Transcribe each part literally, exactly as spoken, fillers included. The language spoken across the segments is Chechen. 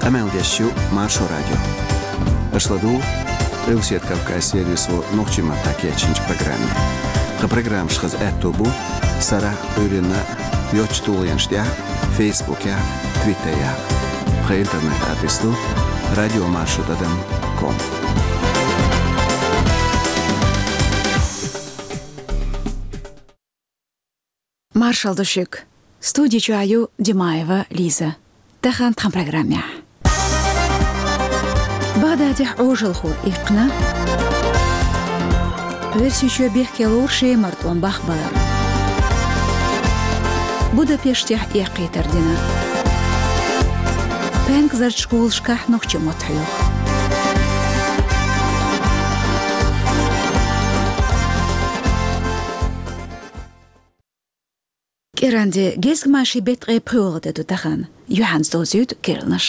Къамел деш ю Маршо радио. Аша ладугӀу Къилбаседа Кавказан сервисо нохчийн маттахь кечйинчу программе. Тхан программаш хаза аьтто бу сарахь а, Ӏуьйранна а йоцчу тулгӀенаш тӀехь а, Фейсбукехь а, Твиттерехь а. Тхан интернет-адрес ду радиомаршо тӀадам ком. Маршалла ду шуьга. Студи чохь ю Димаева Лиза. Тахана тхан программехь. Багдадехь Ӏожалхо иккхина. Оьрсийчоь бехке лору Шемара тӀом бахбалар. Будапештехь эккхийтар дина. Пенкзарчу школашкахь нохчийн мотт хьоьху. КӀиранде, гезгмашин беттан ткъе пхоьалгӀа де ду тахана. Юьхьанца довзуьйту керланаш.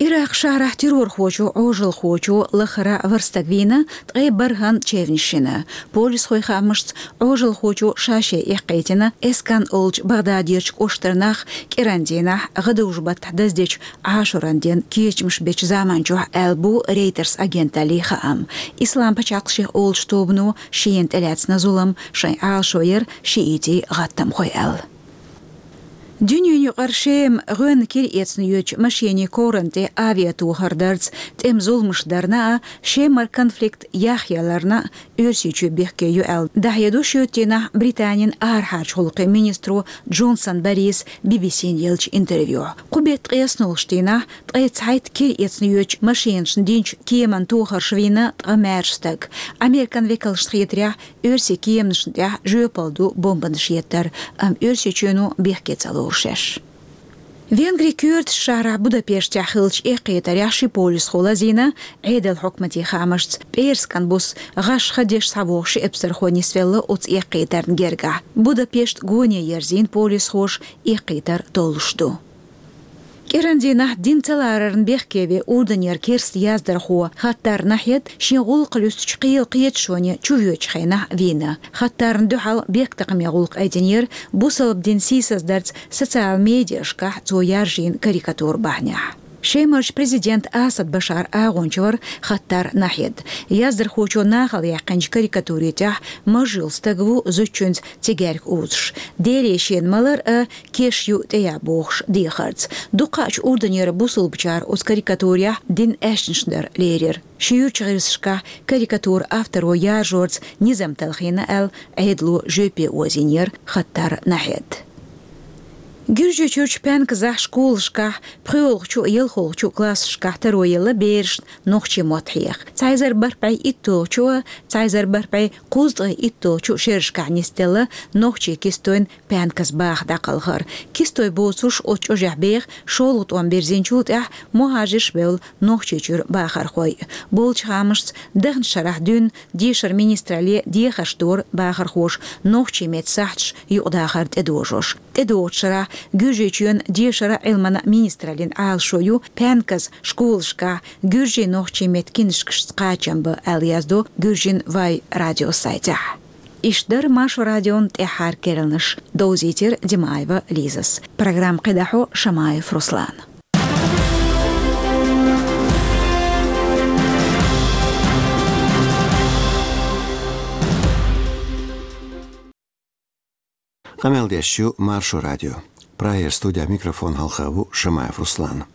Иракх шахьарахь террорхочо, Ӏожалхочо лахара ворхӀ стаг вийна, ткъе бархӀанна чевнаш йина. Полисхойн хаамашца, Ӏожалхочо ша-ша эккхийтина Эскан олучу Багдадерчу кӀоштара нах кӀиран дийнахь, гӀадужу-баттахь даздечу Ӏашуран ден кечамаш бечу заманчохь, аьлла бу Рейтерс агенталлин хаам. Ислам пачхьалкх шех олучу тобано шена тӀелаьцна зулам, шайн Ӏалашо яра шиитийн гӀаттамхой аьлла. Дуьненаюкъара Шема гӀоьнна кира эцна йоьдучу машенийн коврана тӀе авиатохар дарца тӀеман зуламаш дарна а, Шемара конфликт яхъяларна а Оьрсийчоь бехке ю аьлла, дӀахьедо шоьтан дийнахь Британин арахьарчу гӀуллакхийн министро Джонсон Бориса Би-Би-Сина еллачу интервьюхь. Кху беттан ткъаесналгӀачу дийнахь ткъе цхьайтта кира эцна йоьдучу машенашна динчу кеманна тохарш вийна ткъа маьрша стаг. Американ векалшна хетарехь, оьрсийн кеманашна тӀехь жоьпалла ду бомбанаш еттар, амма Оьрсийчоьно бехке ца лору шаьш. Венгрин коьртачу шахьарахь Будапештехь хиллачу эккхийтарехь ши полисхо лазийна, Ӏедалан хьукматийн хаамашца, пӀераскан буса гӀаш хан деш схьавогӀу ши эпсархо нисвелла оцу эккхийтарна гергахь. Будапешт гоне ерзийна полисхоша, эккхийтар толлуш ду. КӀиран дийнахь дин ца ларарна бехке веа Урданера керста яздархо Хаттар Нахьед шен гӀуллакх луьстучу кхелан кхеташоне чувоьдучу хенахь вийна. Хаттарна дуьхьал бехктакхаман гӀуллакх айдинера бусалба дин сийсаздарца социал медиашкахь цо яржийна карикатура бахьанехь. Шемарчу президентан Асад Башаран агӀонча вара Хаттар Нахьед. Яздархочо нахала яьккхинчу карикатурин тӀехь маж йолу стаг ву зудчуьнца цигаьрка узуш. Деле шена ма-ларра, кеш ю тӀеян бохуш дехарца. Дукхахчу Урданера бусалбачара оцу карикатурехь динан аьшнаш дар лерира. Ши юьрчу гӀирсашкахь карикатуран авторо яржорца низам талхийна аьлла, Ӏедало жоьпе озийнера Хаттар Нахьед. Гуьржийчуьрчу Пянказахь школашкахь пхоьалгӀачу а, ялхолгӀачу а классашкахь таро елла берашна нохчийн мотт хьеха. Цхьа эзар бархӀ бӀе итталгӀачу а, цхьа эзар бархӀ бӀе кхузткъе итталгӀачу а шерашкахь нисделла нохчийн кистойн Пянкас баха дӀакхалхар. Кистой боцурш оцу чӀожехь беха шолгӀа тӀом бирзинчул тӀаьхьа мухӀажарш бевлла Нохчийчуьра бахархой. Болчу хаамашца, дахначу шарахь дуьйна дешаран министралле дехарш дора бахархоша нохчийн меттан сахьташ юкъадахар тӀедожош. ТӀедогӀучу шарахь Гуьржийчоьнан дешаран а, Ӏилманан а министраллин Ӏалашо ю Пянкас школашкахь гуьржийн-нохчийн меттан кинашкашца кхачам бан, аьлла яздо Гуьржийн вай радион сайтехь. Иштта дара Маршо радион тӀаьххьара керланаш. Довзийтира Димаева Лизас. Программа кхидӀа хьо Шамаев Руслана. Къамел деш ю Маршо радио. Прагера студехь микрофон хьалха ву Шамаев Руслан.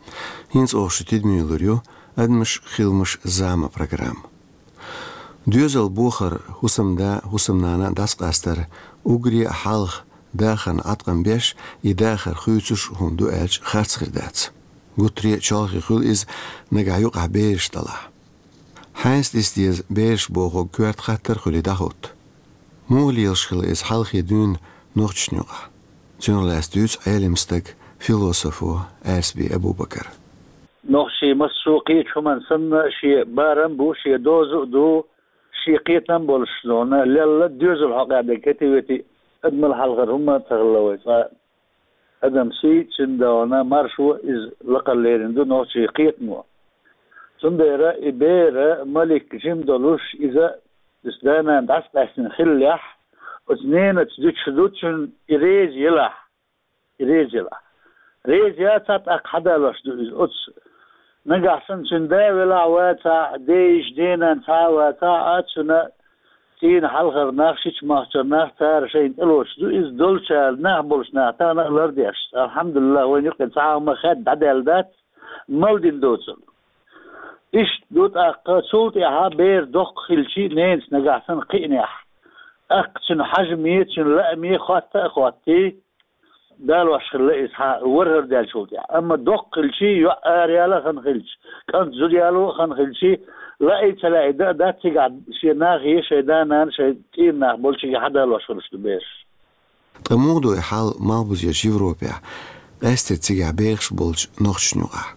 ХӀинца оха шун тидаме лур ю «Адамаш, хиламаш, зама» программа. Доьзал бохар, хӀусамда, хӀусамнана дӀасакъастар, уггаре а хьалха дахарна Ӏаткъам беш, и дахар хуьйцуш хӀума ду аьлча, харц хир дац. Гуттаре а чолхе хуьлу иза нагахь юкъахь бераш далахь. Хьаьнца диса деза бераш бохург коьрта хаттар хуьлий дӀахӀутту. Муха лелаш хилла иза хьалхе дуьйна нохчашна юкъахь? Цунах лаьцна дуьйцу Ӏелам стага, философо Аьрсби Абубакара. Нохчийн массо а кхечу хӀуманна санна шен барам а бу, шен доза а ду, шен кхетам а болуш, нуна лелла доьзал хьокъехь дерг хӀетте-ветте адамал хьалхара хӀума ца хилла вай цкъа. Адам сий, цуьнан догӀана маршо, иза лакхара лерина ду нохчийн кхетамо. Цундела и бер малик жима долуш, иза, иза да-нана дӀасакъаьстина хиллехь, оцу ненаца дуьтуш ду цуьнан и реза елахь, и реза елахь. Реза яцахь, тӀаккха хьадалош ду иза оцу Нагахь санна цуьнан да велахь а вацахь, ден йиша, ден нана цхьа а вацахь а, цуьнан цӀийнан хьалхара нах, шича-махкара нах, цара шайна тӀелоцуш ду иза, долчара нах болчу наха тахана а лардеш. Алхьамдулиллах, вайна юкъе цхьа а хӀума хадда дӀадаьлла дац, мала дина доцург. Иштта ду тӀаккха, цул тӀаьхьа бер доккха хилчий, ненаца нагахь санна кхиънехь, тӀаккха цуьнан хьажаме, цуьнан лааме хотта а хоттий, далош хилла иза хьан вархӀар даьллачул тӀаьхьа. Амма доккха хилчий, йоӀ араяла а хан хилча, кӀант зуда яло а хан хилчий, лаий ца лаий дан а дац, цигахь шен нахе, шайн да-нана, шайн цӀийнан нах болчуьнга хьадалош хуьлуш ду бераш. Ткъа муха ду и хьал малхбузерчу Европехь, къаьсттина цигахь бехаш болчу нохчашна юкъахь?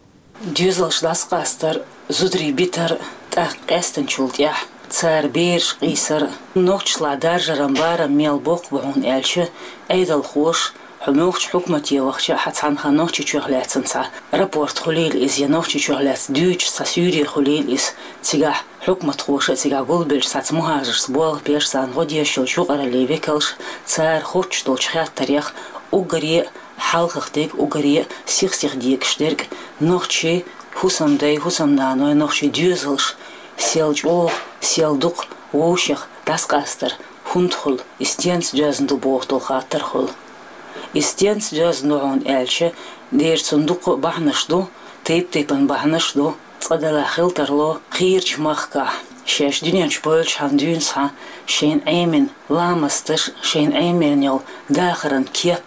Доьзалш дӀасакъастар, зударий битар, тӀаккха къаьстинчул тӀаьхьа цара бераш къийсар, нохчашлахь даржаран барам мел боккха бу, хӀунда аьлча Ӏедалхоша, хьо муьлххачу хьукмате вахча а, хьан цхьанхьа Нохчийчохь лаьцна цхьа рапорт хуьлийла иза, я Нохчийчохь лаьцна дуьйцуш цхьа суьйре хуьлийла иза, цигахь хьукматхоша а, цигахь гулбеллачу цхьацца мухӀажаршца болх беш, царна гӀо деш йолчу юкъараллин векалша, цара хоттуш долчу хаттарех уггаре а хьалхах дерг, уггаре а сих-сиха дегаш дерг, нохчийн хӀусамдай, хӀусамнаной, нохчийн доьзалш сел чӀогӀа, сел дукха вовшех дӀасакъастар хӀунда хуьлу, и стенца доьзна ду боху долу хаттар хуьлу. И стенца доьзна ду, хӀунда аьлча дера цунна дуккха а бахьанаш ду, тайп-тайпана бахьанаш ду. Цкъа-делахь хила тарло кхечу махкахь, шаьш дуьнен чу бевлчхьана дуьйна схьа, шайна Ӏемина ламасташ, шайна Ӏемина йолу дахаран кеп,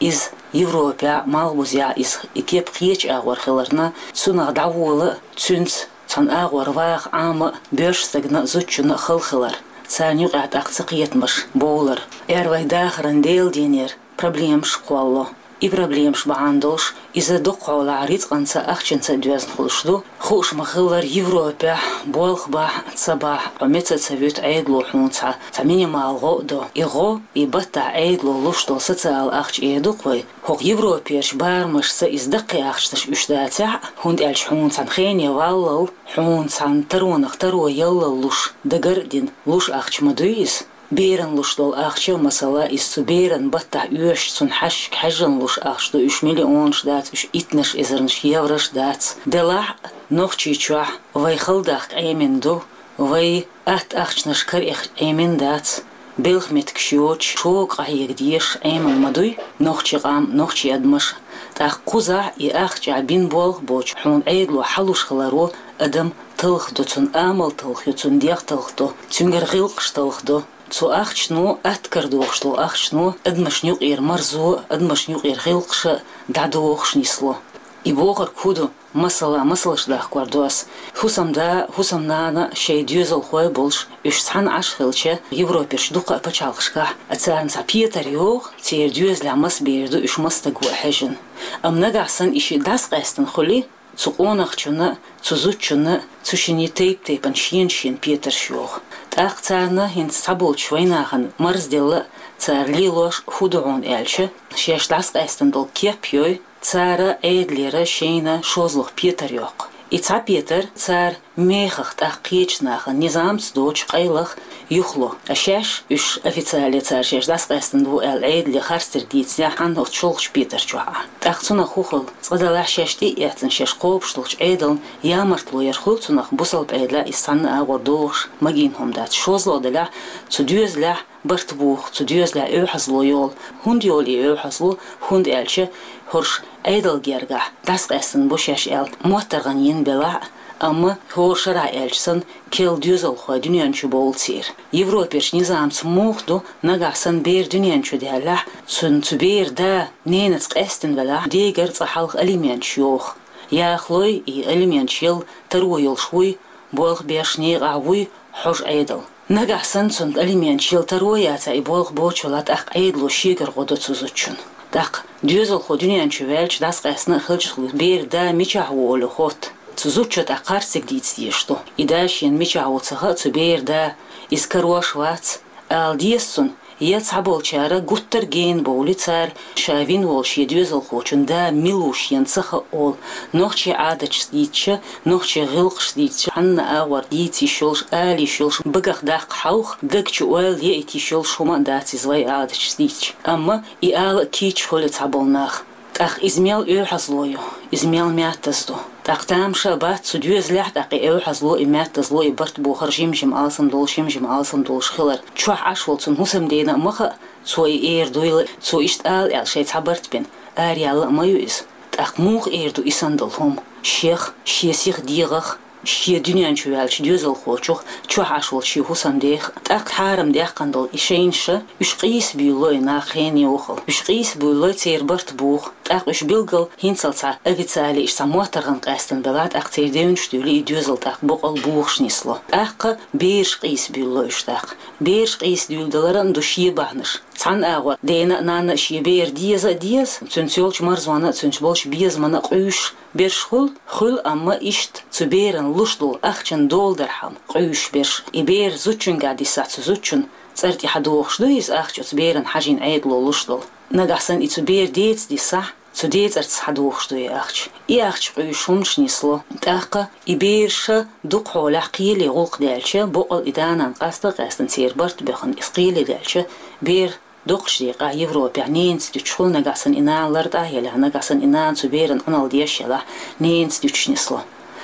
иза Европехь а, малхбузехь а иза, и кеп кхечу агӀор хиларна, цунах дӀавола а, цуьнца цхьана агӀор ваха Ӏама а боьрша стагана а, зудчунна а хала хилар, царна юкъахь тӀаккха цакхетамаш бовлар. Эр вай дахаран Делан денера проблемаш кхоллало. И проблемаш бахьана долуш, иза дукхахьолахь рицкъанца а, ахчанца а доьзна хуьлуш ду. Хууш ма-хиллара, Европехь болх бахь а, ца бахь а, хьо меца а ца вуьту, Ӏедало хьуна цхьа, цхьа минимал гӀо а до. И гӀо, и баттахь Ӏедало луш долу социал ахча эр ду-кх вай. ХӀокху Европерчу барамашца иза даккхий ахчанаш уьш дацахь а, хӀунда аьлча хьуна цхьана хене валлал, хьуна цхьана таронах таро яллал луш, дагар а дина, луш ахча ма дуй иза. Беран луш долу ахча, масала, иза цу беран баттахь оьшуш, цунна хьаьжжиг хьаьжжина луш ахча ду, уьш миллионаш дац, уьш иттанаш эзарнаш еврош дац. Делахь а, Нохчийчохь вай хала дахка Ӏемина ду, вай атта ахчанаш караэха Ӏемина дац. Белхан меттигаш йоцуш, шога къахьега дезаш Ӏемина ма дуй нохчийн къам, нохчийн адамаш. ТӀаккха кхузахь и ахча бина болх боцуш, хьуна Ӏедало хьалуш хиларо адам талхадо, цуьнан амал талхайо, цуьнан дегӀ талхадо, цуьнгара гӀиллакхаш талхадо. Цу ахчано, атта карадохуш долу ахчано, адамашна юкъера марзо а, адамашна юкъера гӀиллакхаш а дӀадохуш нисло. И бохург хӀун ду, масала, масалш дахкор ду ас. ХӀусамда а, хӀусамнана а шайн доьзалхой болуш, уьш цхьаьна Ӏаш хилча, Европерчу дуккха а пачхьалкхашкахь, а царна цхьа петар йогӀу, церан доьзалехь маса бер ду, уьш маса стаг ву а хьаьжжина. Амма нагахь санна и шиъ дӀасакъаьстина хуьлий, цу къонахчунна а, цу зудчунна а, цу шинна тайп-тайпана шена-шена петарш йогӀу. ТӀаккха царна хӀинца цхьаболчу вайнахана марзделла а, цара лелош хӀун ду хьуна аьлча, шаьш дӀасакъаьстина долу кеп йой, цара Ӏедалера шайна шозлагӀа петар йоккху. И цхьа петар цара мехах тӀаккха кхечу нахана низамца доцу къайлаха юхало. А шаьш уьш официале цара шаьш дӀасакъаьстина ду аьлла Ӏедале харцдерг дийцинехь, хьанна оцу шолгӀачу петар чохь Ӏа. ТӀаккха цунах хӀун хуьлу? Цкъа-делахь шаьш тӀе а эцна, шаьш кхобуш долчу Ӏедална ямартло яр хуьлу цунах, бусалба Ӏедалехь иза цхьанна а агӀор догӀуш магийна хӀума дац. ШозлагӀа делахь, цу доьзалехь барт боху, цу доьзалехь оьгӀазло йолу. ХӀунда йолу и оьгӀазло? ХӀунда аьлча хӀорш Ӏедалан гергахь дӀасакъаьстина бу шаьш аьлла, моттаргӀанна йина белахь а, амма хӀора шарахь аьлча санна, керла доьзалхой дуьнен чу бовлу церан. Европерчу низамца муха ду, нагахь санна бер дуьнен чу даьллехь, цуьнан цу беран да ненаца къаьстина велахь, дегара цкъа хьалха алименташ йоху. Яхалой, и алименташ яла таро йолуш вуй, болх беш некъахь вуй хьожа Ӏедал. Нагахь санна цунна алименташ яла таро яцахь, и болх боцуш велахь, тӀаккха Ӏедало шегара гӀо до цу зудчунна. ТӀаккха доьзалхо дуьнен чу ваьлча, дӀасакъаьстина а хилча, беран да мичахь ву олий хотту. Цу зудчо тӀаккха харцдерг дийца дезаш ду. И да шена мичахь ву ца хаьа, цу беран да, иза карош вац, ала деза цунна. Я цхьаболчара гуттар а гена бовлий, цара ша вина волу шен доьзалхочун да мила ву шена ца хаьа олу, нохчийн Ӏадаташ дийцича, нохчийн гӀиллакхаш дийцича, хьанна а агӀор дийца йиш йолуш, ала йиш йолуш, багах даккха хьовха, даг чу ойла яийта йиш йолуш хӀума а дац иза вайн Ӏадаташ дийцича. Амма и ала а кийча хуьлу цхьаболу нах. ТӀаккха иза мел оьгӀазло ю, иза мел маьттаза ду. ТӀаккха тамаша бац цу доьзалехь, тӀаккха и оьгӀазло, и маьттазло, и барт бохар жим-жим алсам долуш, жим-жим алсам долуш хилар. Чохь Ӏаш волу цунна хӀусамдена а ма хаьа, цо и эр дуйла, цо иштта ала аьлла шайн цхьа барт бина, араяьлла а ма ю иза. ТӀаккха муха эр ду и санна долу хӀума? Шех, шен сиха дегӀах, шен дуьнен чу ваьллачу доьзалхочух, чохь Ӏаш волчу шен хӀусамдех, тӀаккха хьарам даьккхина долу и шайнаш, уьш къийса буьйлало и нах хене вахал. Уьш къийса буьйлало, церан барт буху. ТӀаккха уьш билггал хӀинццалц цхьа официале иштта цхьа моттаргӀан къаьстина белахь, тӀаккха церан девнаш дуьйлий, и доьзал тӀаккха боккъал бухуш нисло. ТӀаккха бераш къийса буьйлало уьш тӀаккха. Бераш къийса дуьйлаларан ду шен бахьанаш. Цхьана агӀор дена а, нанна а шен бер деза а деза, цуьнца йолчу марзонна а, цуьнца болчу безамана а къуьйсуш берш хуьлу, хуьлу, амма иштта цу беран луш долу ахчан доладархьама къуьйсуш берш. И бер зудчуьнгахь дисахь, цу зудчун цӀар тӀе хьадохуш ду иза ахча, оцу беран хьажийна Ӏедало луш долу. Нагахь санна и цу бер деца дисахь, цу ден цӀарца хьадохуш ду и ахча. И ахча къуьйсуш хӀуманаш нисло. ТӀаккха и бераша дукха хьолехь кхеле гӀуллакх даьлча, боккъал и да-нана къаста а къаьстина, церан барт боьхна, иза кхеле даьлча, бер доккхачу декъехь Европехь ненца дуьтуш хуьлу, нагахь санна и нана лартӀахь а елахь, нагахь санна и нана цу беран Ӏуналла деш елахь, ненца дуьтуш нисло.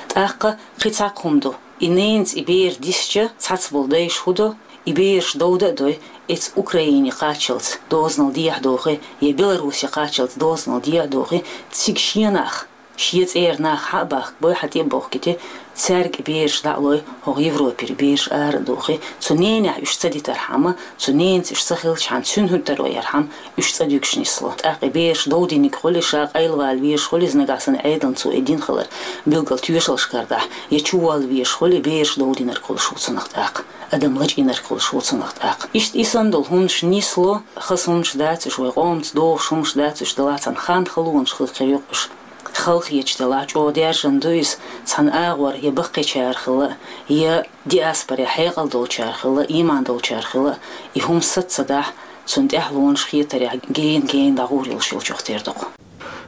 ТӀаккха кхин цхьа хӀума ду. И ненца и бер дисча, цхьацца болу дайша хӀун до? И бераш довда а дой, эца Украине кхаччалц дозанал дехьадохий, я Беларусе кхаччалц дозанал дехьадохий, цига шен нах, шен цӀера нах хьа а бахкабой, хьа тӀе а бохкийти, цаьрга и бераш дӀа а лой, хӀокху Европера бераш ара а дохий, цу ненехь уьш ца дитархьама, цу ненца уьш ца хилчхьана, цуьнан хӀуьттаро ярхьама, уьш цӀа дуьгуш нисло. ТӀаккха и бераш довдийниг хуьлий, ша къайлавала везаш хуьлий иза, нагахь санна Ӏедална цо и дина хилар, билггал тоьшаллаш карахь, я чувалла везаш хуьлий, бераш довдийнарг хуьлуш ву цунах тӀаккха. Адам лачкъийнарг хуьлуш ву цунах тӀаккха. Иштта и санна долу хӀуманаш нисло, хаза хӀуманаш дац уьш, вай къомаца догӀуш хӀуманаш дац уьш, делахь цхьана хан халонаш хила кхин юкъа уьш. Халахеташ делахь, чӀогӀа даьржина ду иза, цхьана агӀор я баккхийчара хилла, я диаспоре хьекъал долчара хилла, ийман долчара хилла, и хӀума саца ца дахь, цунна тӀаьхьалонаш хетарехь гена-гена дӀагӀур йолуш йолчух тера ду-кх.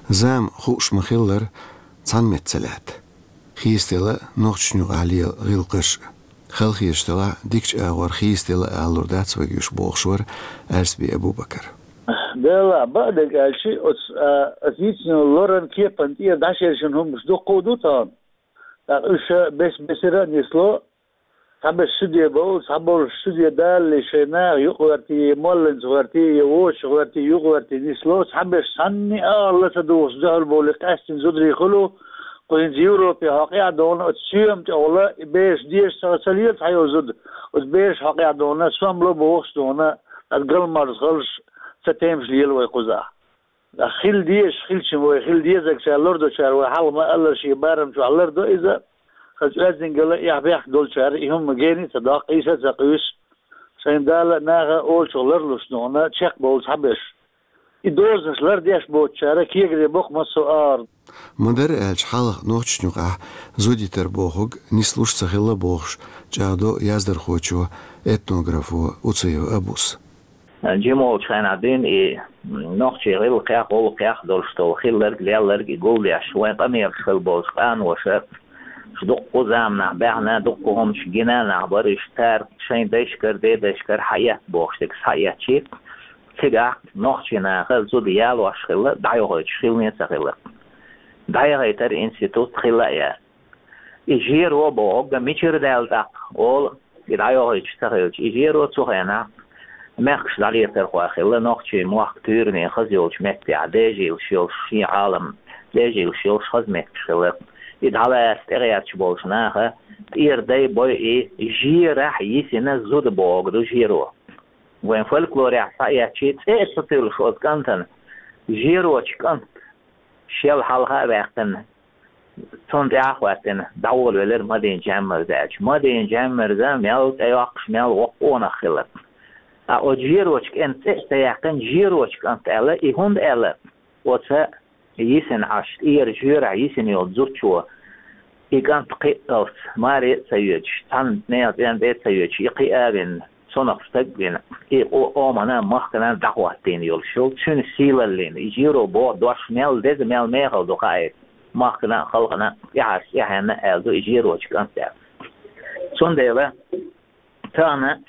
Зама хууш ма-хиллара, цхьана метта ца лаьтта. Хийцаделла нохчашна юкъахь лела гӀиллакхаш а. Халахеташ делахь, дикачу агӀор хийцаделла а алалур дац вайга уьш, бохуш вара Аьрсби Абубакар. Делахь, бакъдерг аьлча, оцу, а, оцу йицина лоран кепан тӀера дӀашершина хӀуманаш дуккха а ду тахана. ТӀаккха уьш бес-бесара а нисло, цхьаберш суде бовлу, цхьаболуш суде далале шайн наха юкъагӀертий, я молланца гӀертий, я вочу гӀертий, юкъагӀертий нисло, цхьаберш цхьанне а ала ца духуш дуьхьал бовлий, къаьстина зударий хуьлу, кху хӀинца Европе хьокъехь а довна, оцу соьма тӀехула, и бераш дезаш ца, ца лела цхьайолу зуда, оцу бераш хьокъехь а довна, сомало бохуш а довна, ткъа галмарза халш, ца темаш лела вай кхузахь. Хила дезаш хилча вай, хила дезарг ша лардочара вай хьалха ма-аллара шен барам чохь лардо иза. Хаза оьздангалла, эхь-бехк долчара и хӀума гена а ца доккху, къийса а ца къуьйсу. Шайн Дала а, наха а олучух ларлуш а довна, чекхбовлу цхьаберш. И дозанаш лардеш боцучара кегаде боккха массо а агӀор. Ма-дарра аьлча, хьалха нохчашна юкъахь зуда йитар бохург нислуш ца хилла бохуш, чӀагӀдо яздархочо, этнографо Уцаев Абус. Жима волчу хенахь дуьйна и нохчийн гӀиллакхех, гӀуллакхех долуш долу хилларг, лелларг и гулдеш, вайн къамелаш хилла болчу къаноша, уьш дуккха а заманахь баьхна, дуккха а хӀуманаш гина нах бара, уьш цара шайн дайшкара, дедайшкара хьаэцна бохуш дерг схьаэцчи, цигахь нохчийн наха зуда ялош хилла, дӀайохуьйтуш хилла а ца хилла. ДӀаяхийтар институт хилла а яц. И жеро бохург мичара даьлла тӀаккха, олу, и дӀайохуьйтуш ца хилча, и жеро цу хенахь мехкаш дӀалетархой хилла, нохчийн мохк туьйранийн хаза йолчу меттехь, дежийлаш йолуш шен Ӏалам, дежийлаш йолуш хаза меттигаш хилла. И дӀалаьцна тӀегӀерташ болчу наха тӀера дай бой и жерахь йисина зуда бохург ду жеро. Вайн фольклорехь схьаэцчи, цӀе а ца туьллуш оцу кӀантана, жерочу кӀант шел хьалха а ваьккхина, цунна тӀаьхьа а хӀоьттина, дӀаволавелира Мадина Жаммарза аьлча. Мадина Жаммарза мел цӀе йоккхуш, мел воккха къонах хилла. Ткъа оцу жерочу кӀентан цӀе а ца яьккхина, жерочу кӀант аьлла, и хӀунда аьлла? Оцу йисина Ӏаш, тӀера жоьрахь йисина йолу зудчо, и кӀант кхиъ алц, маре а ца йоьдуш, цхьана нехан цӀен тӀе а ца йоьдуш, и кхиа а вина, цунах стаг а вина, и къо-, къомана а, махкана а дӀахӀоттийна йолуш йолу цуьнан сийлаллина, и жеро боху дош мел деза, мел мехала ду хаийта, махкана а, халкъана а, тӀаьхьарчу тӀаьхьенна а аьлла ду и жерочу кӀант аьлла. Цундела тахана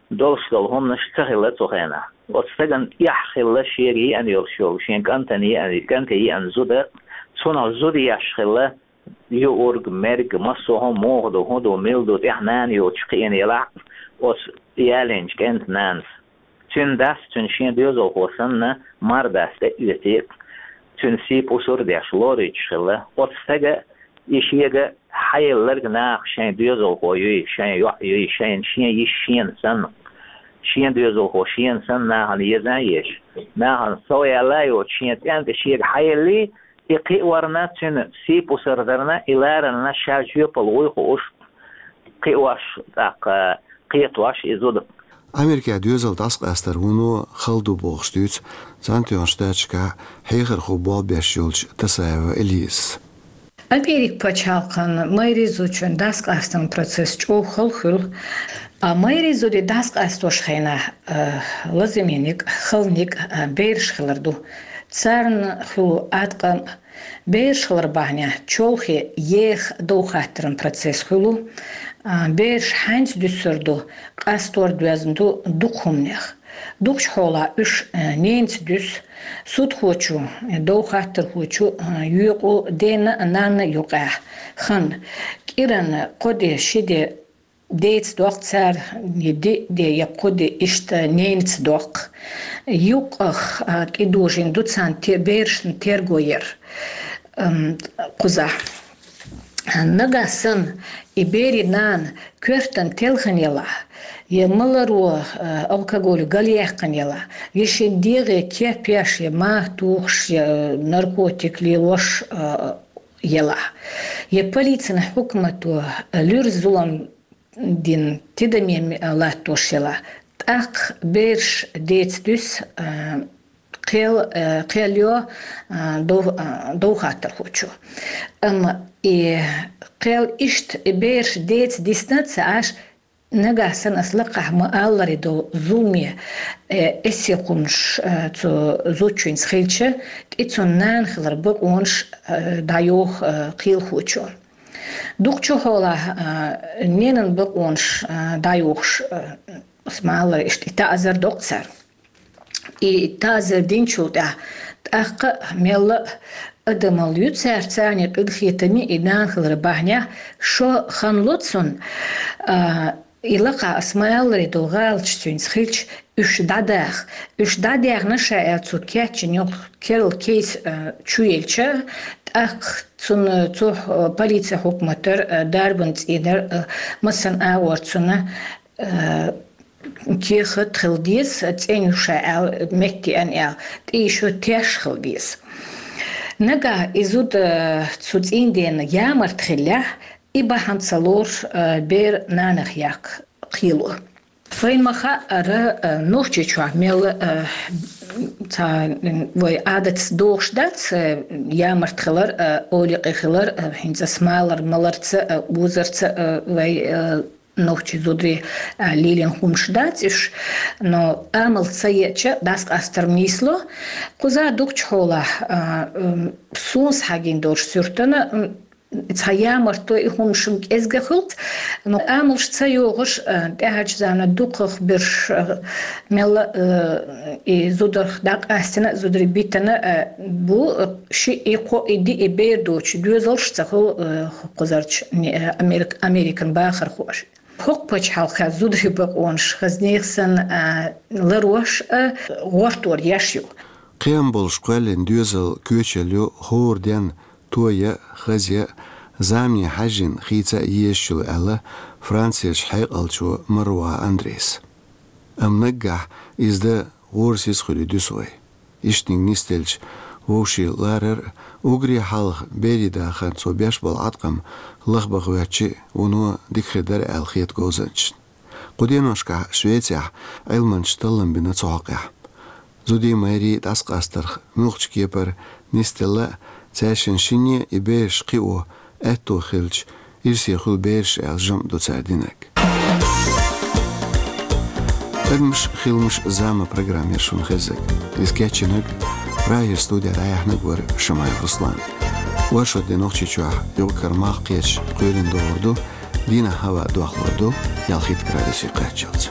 долуш долу хӀуманаш ца хилла цу хенахь. Оцу стагана эхь хилла шега еана йолуш йолу, шен кӀантана еана, кӀанте еана зуда, цунах зуда еш хилла юург, мерг, массо а хӀума муха ду, хӀун ду, мила ду, тӀехь нана йоцуш кхиъна елахь оцу ялийначу кӀентан нанас. Цуьнан дас, цуьнан шен доьзалхо санна, мардас тӀе а оьций, цуьнан сий пусар а деш, лоруьйтуш хилла. Оцу стага и шега хьаелларг наха шайн доьзалхо юй, шайн йоӀ юй, шайн шен йиша шена санна. Шен доьзалхо шена санна нахана еза а езаш, нахана сов яьлла а йоцуш, шен кӀант шега хьаеллий, и кхиорна, цуьнан сий пусар дарна, и ларална ша жоьпалла вуй хууш, кхиош, тӀаккха кхетош и зуда. Америкехь доьзал дӀасакъастар вуно хала ду бохуш дуьйцу Цхьаьнатоьхначу Штаташкахь хьехархо болх беш йолчу Тасаева Элизас. Америкин пачхьалкхан майрин зудчун дӀасакъастаран процесс чӀогӀа хала хуьлу. А майрин зударий дӀасакъастош хенахь, а, лазаме никъ, хала никъ, а, бераш хилар ду. Царна хуьлу аткъам, бераш хилар бахьанехь чолхе еха довхаттаран процесс хуьлу, а, бераш хьаьнца дуьсур ду, къастор доьзна ду дукха хӀуманех. Дукхачу хьолахь уьш, а, ненаца дуьсу, судхочо, довхаттархочо, а, йоькъу дена а, нанна а юкъахь. Хан кӀиран кхо де, ши де деца доккху цара, я диъ де, я кхо де, иштта ненаца доккху. Юккъах, а, тӀедожийна ду царна те-, берашна терго яр, ам, кхузахь. Нагахь санна и берийн нана коьртана телхина елахь, я маларо, а, алкоголь галъяьккхина елахь, я шен дегӀе кеп еш, я мах тухуш, я наркотик лелош, а, елахь, я полицина хьукмато луьра зулам дина тидаме латтош елахь, тӀаккха бераш деца дуьсу, а, кхел, а, кхел йо, а, дов-, а, довхаттархочо. Амма и кхел иштта и бераш деца дисна а ца Ӏаш, нагахь санна ас лакхахь ма-аллара долу зуламе, э, эсехуумаш, э, цу зудчуьнца хилча, тӀе цунна нана хилар бакъонаш, э, дӀайоху, э, кхелахочо. Дукхачу хьолахь, э, ненан бакъонаш, э, дӀайохуш, э, ас ма-аллара, иштта и таӀзар доккху цара. И таӀзар динчул тӀаьхьа тӀаккха а мелла а адамалла ю цаьрца, царна къинхетаме и нана хилар бахьанехь, шо хан ло цунна, а, и лакхахь ас ма-аллара долу гӀалаташ цуьнца хилча, уьш дӀадаха. Уьш дӀадаьхна ша аьлла цу кечйина йолу керла кейс, а, чуелча, тӀаккха цунна цу, а, полицин хьукматара, а, дарбан цӀийнара, а, массанхьа агӀор цунна, а, кехат хила деза, цӀена ю ша аьлла, меттиъна аьлла, тӀе и шо теш хила деза. Нагахь и зуда, э, цу цӀийндена ямарта хиллехь, и бахьана ца лоруш, э, бер нанах яккха кхело. Вайна ма-хаъара, э, Нохчийчохь мелла, э, цхьа, м, вай Ӏадатца догӀуш дац, э, ямарта хилар, э, оликъе хилар, э, хӀинца ас ма-аллара маларца, э, узарца, э, вай, э, нохчий зударий, а, лелийна хӀуманаш дац уьш, но амал ца еача, дӀасакъастар нийсло. Кхузахь дукхачу хьолахь, а, м, суна схьагина долуш суьртана, м, цхьа ямарта и хӀуманаш-м кӀезга хуьлу, но амалш ца йогӀуш, а, тӀаьхьарчу заманахь дукхах берш, а, мелла, а, и зударх дӀакъаьстина, зударий битина, а, бу, а, ши, и кхо, и диъ, и бер доцуш доьзалш а ца хуьлу, а, кхузарчу, не, а, Америк-, Американ бахархоша. ХӀокху пачхьалкхехь зударий бакъонаш хаза нехан санна, а, ларош а, гӀортор еш ю. Кхиам болуш кхоьллина доьзал коьчалла ю хӀора денна тоя, хаза, замане хьаьжжина хийца а езаш йолу аьлла Францерчу хьекъалчо Маруа Андрейс. Амма наггахь иза дан гӀорасиз хуьлий дуьсу вай. Иштаниг нисделча вовшийн ларар а, уггаре хьалха берийн дахарна цо беш болу Ӏаткъам лахбаха хӀоьттича, вуно дика хир дара аьлла хета говзанчашна. Кху деношкахь Швецехь Ӏилманчаша таллам бина цу хьокъехь. Зудий, майрий дӀасакъастарх муьлххачу кепара нисделла а, цаьршинна шинне и бераш кхио аьтто хилча, ирсе хуьлу бераш аьлла жамӀ ду цара динарг. Адамаш, хиламаш, зама программа яра шуна хезнарг. Иза кечйинарг, Прагера студехь дӀаяьхьнарг вара Шамаев Руслан. Оршот де Нохчийчохь юкъ-кара малх кхеташ кхоьлина догӀур ду, дийнахь хӀаваъ дохлур ду ялхитта градусе кхаччалц.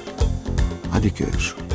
Ӏадика йойла шун.